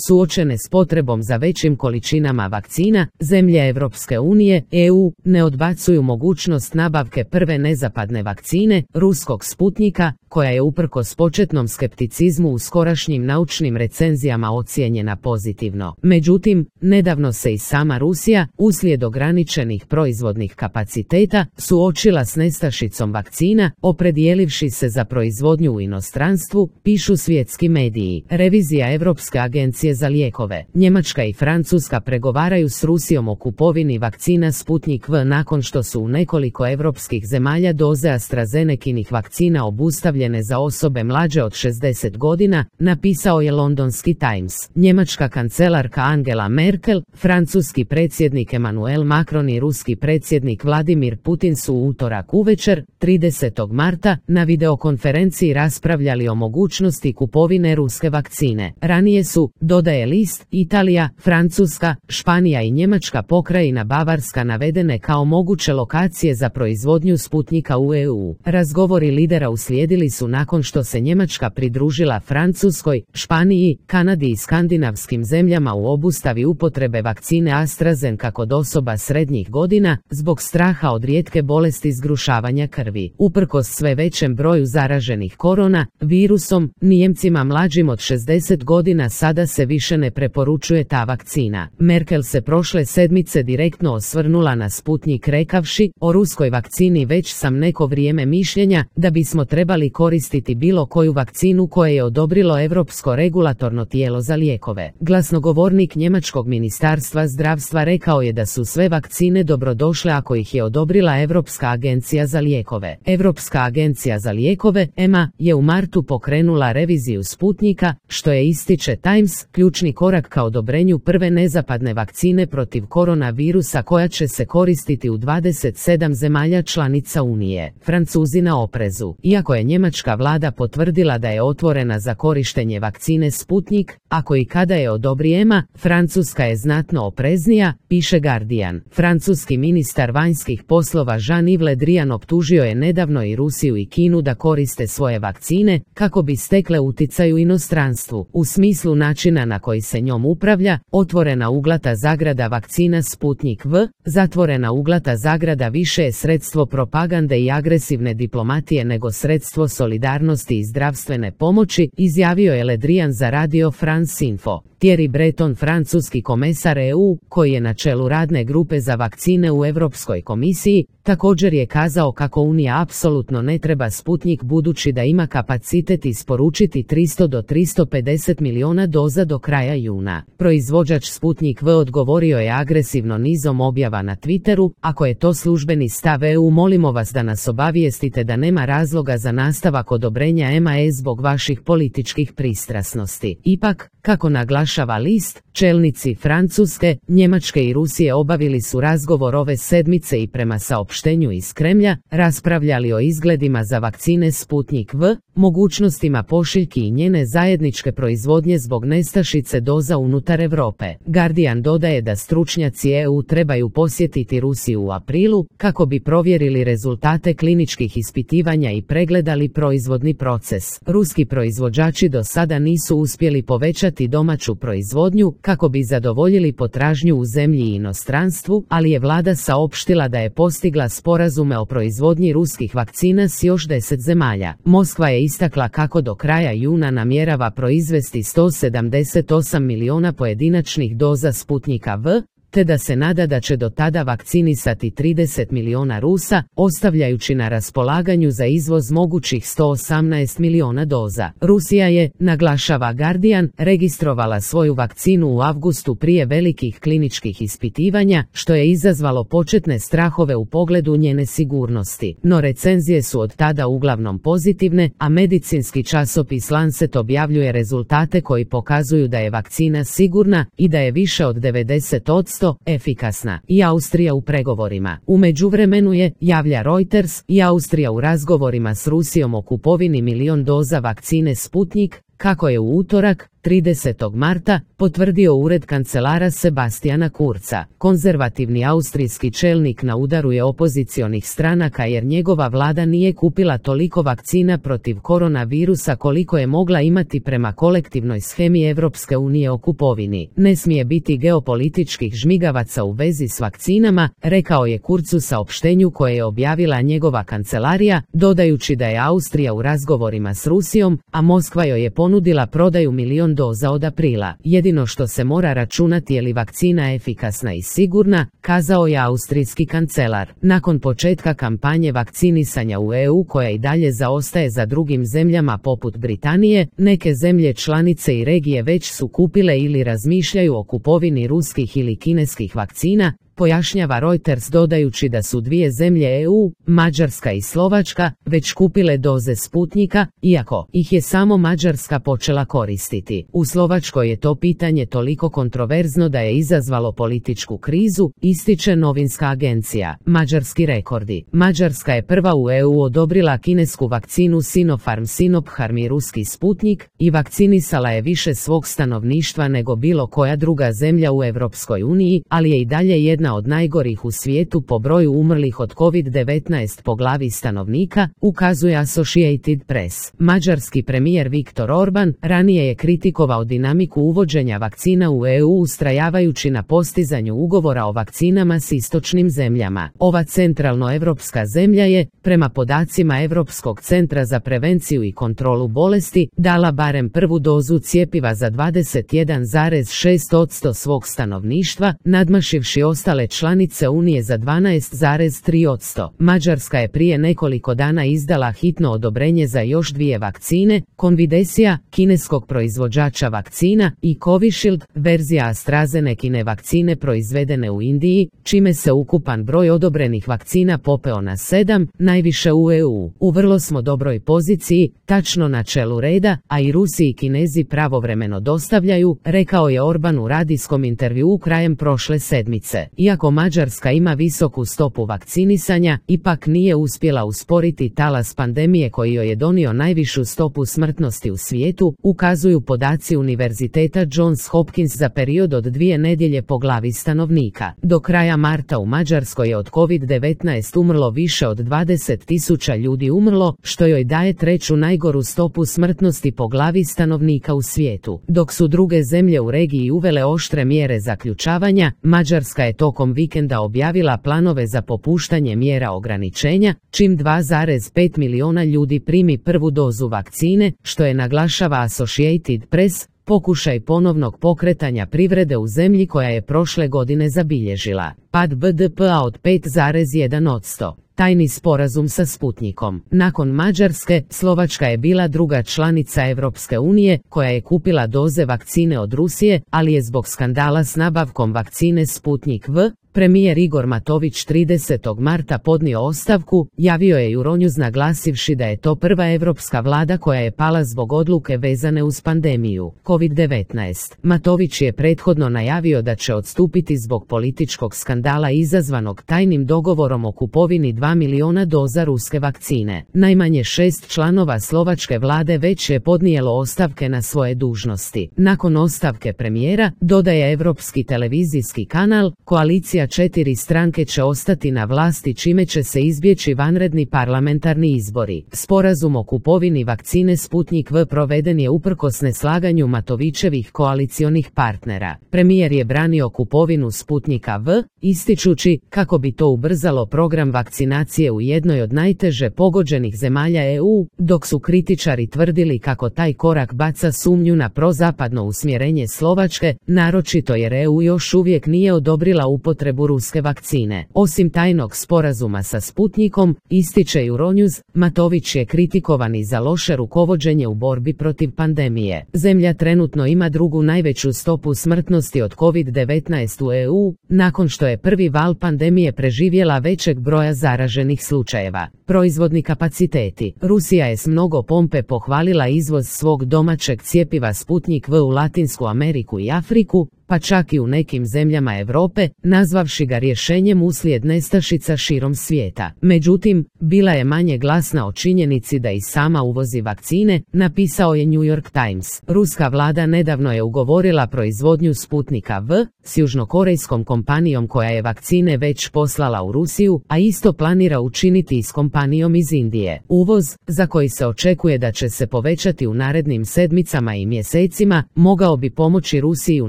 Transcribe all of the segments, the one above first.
Suočene s potrebom za većim količinama vakcina, zemlje Europske unije, EU, ne odbacuju mogućnost nabavke prve nezapadne vakcine, ruskog Sputnika, koja je uprkos početnom skepticizmu u skorašnjim naučnim recenzijama ocijenjena pozitivno. Međutim, nedavno se i sama Rusija, uslijed ograničenih proizvodnih kapaciteta, suočila s nestašicom vakcina, opredjelivši se za proizvodnju u inostranstvu, pišu svjetski mediji. Revizija Europske agencije za lijekove. Njemačka i Francuska pregovaraju s Rusijom o kupovini vakcina Sputnik V nakon što su u nekoliko europskih zemalja doze AstraZenekinih vakcina obustavljene za osobe mlađe od 60 godina, napisao je londonski Times. Njemačka kancelarka Angela Merkel, francuski predsjednik Emmanuel Macron i ruski predsjednik Vladimir Putin su u utorak uvečer, 30. marta, na videokonferenciji raspravljali o mogućnosti kupovine ruske vakcine. Ranije su, dodaje list, Italija, Francuska, Španija i Njemačka pokrajina Bavarska navedene kao moguće lokacije za proizvodnju Sputnika u EU. Razgovori lidera uslijedili su nakon što se Njemačka pridružila Francuskoj, Španiji, Kanadi i skandinavskim zemljama u obustavi upotrebe vakcine AstraZeneca kod osoba srednjih godina, zbog straha od rijetke bolesti zgrušavanja krvi. Uprkos sve većem broju zaraženih korona virusom, Nijemcima mlađim od 60 godina sada se više ne preporučuje ta vakcina. Merkel se prošle sedmice direktno osvrnula na Sputnik rekavši: o ruskoj vakcini već sam neko vrijeme mišljenja da bismo trebali koristiti bilo koju vakcinu koje je odobrilo Europsko regulatorno tijelo za lijekove. Glasnogovornik njemačkog ministarstva zdravstva rekao je da su sve vakcine dobrodošle ako ih je odobrila Europska agencija za lijekove. Europska agencija za lijekove, EMA, je u martu pokrenula reviziju Sputnika, što je, ističe Times, ključni korak ka odobrenju prve nezapadne vakcine protiv koronavirusa koja će se koristiti u 27 zemalja članica Unije. Francuzi na oprezu. Iako je njemačka vlada potvrdila da je otvorena za korištenje vakcine Sputnik, ako i kada je odobri EMA, Francuska je znatno opreznija, piše Guardian. Francuski ministar vanjskih poslova Jean-Yves Le Drian optužio je nedavno i Rusiju i Kinu da koriste svoje vakcine kako bi stekle uticaj u inostranstvu. U smislu načina na koji se njom upravlja, otvorena uglata zagrada vakcina Sputnik V, zatvorena uglata zagrada više je sredstvo propagande i agresivne diplomatije nego sredstvo solidarnosti i zdravstvene pomoći, izjavio je Le Drian za Radio France Info. Thierry Breton, francuski komesar EU, koji je na čelu radne grupe za vakcine u Europskoj komisiji, također je kazao kako Unija apsolutno ne treba Sputnik budući da ima kapacitet isporučiti 300 do 350 milijuna doza do kraja juna. Proizvođač Sputnik V odgovorio je agresivno nizom objava na Twitteru: ako je to službeni stav EU, molimo vas da nas obavijestite da nema razloga za nastavak odobrenja EMA zbog vaših političkih pristrasnosti. Ipak, kako naglašava list, čelnici Francuske, Njemačke i Rusije obavili su razgovor ove sedmice i prema saopštenju iz Kremlja raspravljali o izgledima za vakcine Sputnik V, mogućnostima pošiljki i njene zajedničke proizvodnje zbog nestašice doza unutar Europe. Guardian dodaje da stručnjaci EU trebaju posjetiti Rusiju u aprilu kako bi provjerili rezultate kliničkih ispitivanja i pregledali proizvodni proces. Ruski proizvođači do sada nisu uspjeli povećati domaću proizvodnju kako bi zadovoljili potražnju u zemlji i inostranstvu, ali je vlada saopštila da je postigla sporazume o proizvodnji ruskih vakcina s još 10 zemalja. Moskva je istakla kako do kraja juna namjerava proizvesti 178 milijuna pojedinačnih doza Sputnika V, te da se nada da će do tada vakcinisati 30 milijuna Rusa, ostavljajući na raspolaganju za izvoz mogućih 118 milijuna doza. Rusija je, naglašava Guardian, registrovala svoju vakcinu u avgustu prije velikih kliničkih ispitivanja, što je izazvalo početne strahove u pogledu njene sigurnosti. No recenzije su od tada uglavnom pozitivne, a medicinski časopis Lancet objavljuje rezultate koji pokazuju da je vakcina sigurna i da je više od 90% efikasna. I Austrija u pregovorima. U međuvremenu je, javlja Reuters, i Austrija u razgovorima s Rusijom o kupovini 1 milijun doza vakcine Sputnik, kako je u utorak, 30. marta, potvrdio ured kancelara Sebastiana Kurza. Konzervativni austrijski čelnik na udaru je opozicionih stranaka jer njegova vlada nije kupila toliko vakcina protiv koronavirusa koliko je mogla imati prema kolektivnoj shemi Evropske unije o kupovini. Ne smije biti geopolitičkih žmigavaca u vezi s vakcinama, rekao je Kurz u saopštenju koje je objavila njegova kancelarija, dodajući da je Austrija u razgovorima s Rusijom, a Moskva joj je ponudila prodaju 1.000.000 doza od aprila. Jedino što se mora računati je li vakcina efikasna i sigurna, kazao je austrijski kancelar. Nakon početka kampanje vakcinisanja u EU koja i dalje zaostaje za drugim zemljama poput Britanije, neke zemlje članice i regije već su kupile ili razmišljaju o kupovini ruskih ili kineskih vakcina, pojašnjava Reuters dodajući da su dvije zemlje EU, Mađarska i Slovačka, već kupile doze Sputnika, iako ih je samo Mađarska počela koristiti. U Slovačkoj je to pitanje toliko kontroverzno da je izazvalo političku krizu, ističe novinska agencija. Mađarski rekordi. Mađarska je prva u EU odobrila kinesku vakcinu Sinopharm Sinopharm i ruski Sputnik i vakcinisala je više svog stanovništva nego bilo koja druga zemlja u Europskoj uniji, ali je i dalje jedna od najgorih u svijetu po broju umrlih od COVID-19 po glavi stanovnika, ukazuje Associated Press. Mađarski premijer Viktor Orban ranije je kritikovao dinamiku uvođenja vakcina u EU ustrajavajući na postizanju ugovora o vakcinama s istočnim zemljama. Ova centralnoevropska zemlja je, prema podacima Europskog centra za prevenciju i kontrolu bolesti, dala barem prvu dozu cjepiva za 21,6% svog stanovništva, nadmašivši ostale članice Unije za 12,3%. Mađarska je prije nekoliko dana izdala hitno odobrenje za još dvije vakcine, Convidecia, kineskog proizvođača vakcina, i Covishield, verzija AstraZenecine vakcine proizvedene u Indiji, čime se ukupan broj odobrenih vakcina popeo na 7, najviše u EU. U vrlo smo dobroj poziciji, tačno na čelu reda, a i Rusi i Kinezi pravovremeno dostavljaju, rekao je Orban u radijskom intervjuu krajem prošle sedmice. Iako Mađarska ima visoku stopu vakcinisanja, ipak nije uspjela usporiti talas pandemije koji joj je donio najvišu stopu smrtnosti u svijetu, ukazuju podaci Univerziteta Johns Hopkins za period od 2 nedjelje po glavi stanovnika. Do kraja marta u Mađarskoj je od COVID-19 umrlo više od 20.000 ljudi umrlo, što joj daje treću najgoru stopu smrtnosti po glavi stanovnika u svijetu. Dok su druge zemlje u regiji uvele oštre mjere zaključavanja, Mađarska je tokom vikenda objavila planove za popuštanje mjera ograničenja, čim 2,5 milijuna ljudi primi prvu dozu vakcine, što je, naglašava Associated Press, pokušaj ponovnog pokretanja privrede u zemlji koja je prošle godine zabilježila pad BDP-a od 5,1%. Tajni sporazum sa Sputnikom. Nakon Mađarske, Slovačka je bila druga članica Evropske unije koja je kupila doze vakcine od Rusije, ali je zbog skandala s nabavkom vakcine Sputnik V, premijer Igor Matović 30. marta podnio ostavku, javio je Euronews naglasivši da je to prva evropska vlada koja je pala zbog odluke vezane uz pandemiju COVID-19. Matović je prethodno najavio da će odstupiti zbog političkog skandala izazvanog tajnim dogovorom o kupovini 2 milijuna doza ruske vakcine. Najmanje 6 članova slovačke vlade već je podnijelo ostavke na svoje dužnosti. Nakon ostavke premijera, dodaje Europski televizijski kanal, koalicija 4 stranke će ostati na vlasti čime će se izbjeći vanredni parlamentarni izbori. Sporazum o kupovini vakcine Sputnik V proveden je uprkos neslaganju Matovićevih koalicionih partnera. Premijer je branio kupovinu Sputnika V, ističući kako bi to ubrzalo program vakcinacije u jednoj od najteže pogođenih zemalja EU, dok su kritičari tvrdili kako taj korak baca sumnju na prozapadno usmjerenje Slovačke, naročito jer EU još uvijek nije odobrila upotrebu ruske vakcine. Osim tajnog sporazuma sa Sputnikom, ističe Euronews, Matović je kritikovan i za loše rukovođenje u borbi protiv pandemije. Zemlja trenutno ima drugu najveću stopu smrtnosti od COVID-19 u EU, nakon što je prvi val pandemije preživjela većeg broja zaraženih slučajeva. Proizvodni kapaciteti. Rusija je s mnogo pompe pohvalila izvoz svog domaćeg cjepiva Sputnik V u Latinsku Ameriku i Afriku, pa čak i u nekim zemljama Europe, nazvavši ga rješenjem uslijed nestašica širom svijeta. Međutim, bila je manje glasna o činjenici da i sama uvozi vakcine, napisao je New York Times. Ruska vlada nedavno je ugovorila proizvodnju Sputnika V s južnokorejskom kompanijom koja je vakcine već poslala u Rusiju, a isto planira učiniti i s kompanijom iz Indije. Uvoz, za koji se očekuje da će se povećati u narednim sedmicama i mjesecima, mogao bi pomoći Rusiji u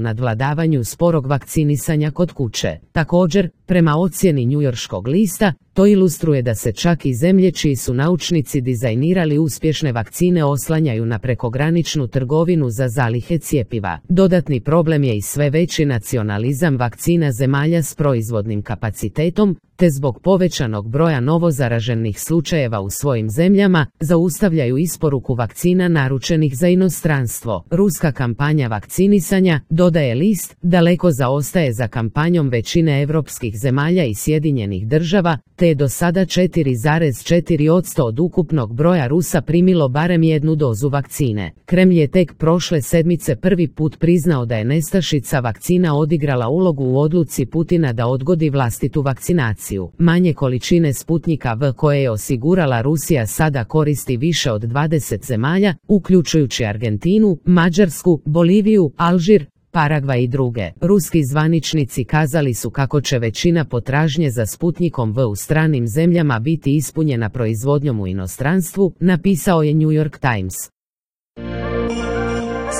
nadvladavanju sporog vakcinisanja kod kuće. Također, prema ocjeni njujorškog lista, to ilustruje da se čak i zemlje čiji su naučnici dizajnirali uspješne vakcine oslanjaju na prekograničnu trgovinu za zalihe cjepiva. Dodatni problem je i sve veći nacionalizam vakcina zemalja s proizvodnim kapacitetom, te zbog povećanog broja novozaraženih slučajeva u svojim zemljama, zaustavljaju isporuku vakcina naručenih za inostranstvo. Ruska kampanja vakcinisanja, dodaje list, daleko zaostaje za kampanjom većine europskih zemalja i Sjedinjenih Država, te je do sada 4,4% od ukupnog broja Rusa primilo barem jednu dozu vakcine. Kremlj je tek prošle sedmice prvi put priznao da je nestašica vakcina odigrala ulogu u odluci Putina da odgodi vlastitu vakcinaciju. Manje količine Sputnika V koje je osigurala Rusija sada koristi više od 20 zemalja, uključujući Argentinu, Mađarsku, Boliviju, Alžir, Paragvaj i druge. Ruski zvaničnici kazali su kako će većina potražnje za Sputnikom V u stranim zemljama biti ispunjena proizvodnjom u inostranstvu, napisao je New York Times.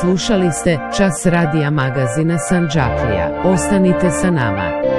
Slušali ste Čas radija magazina Sandžaklija. Ostanite sa nama.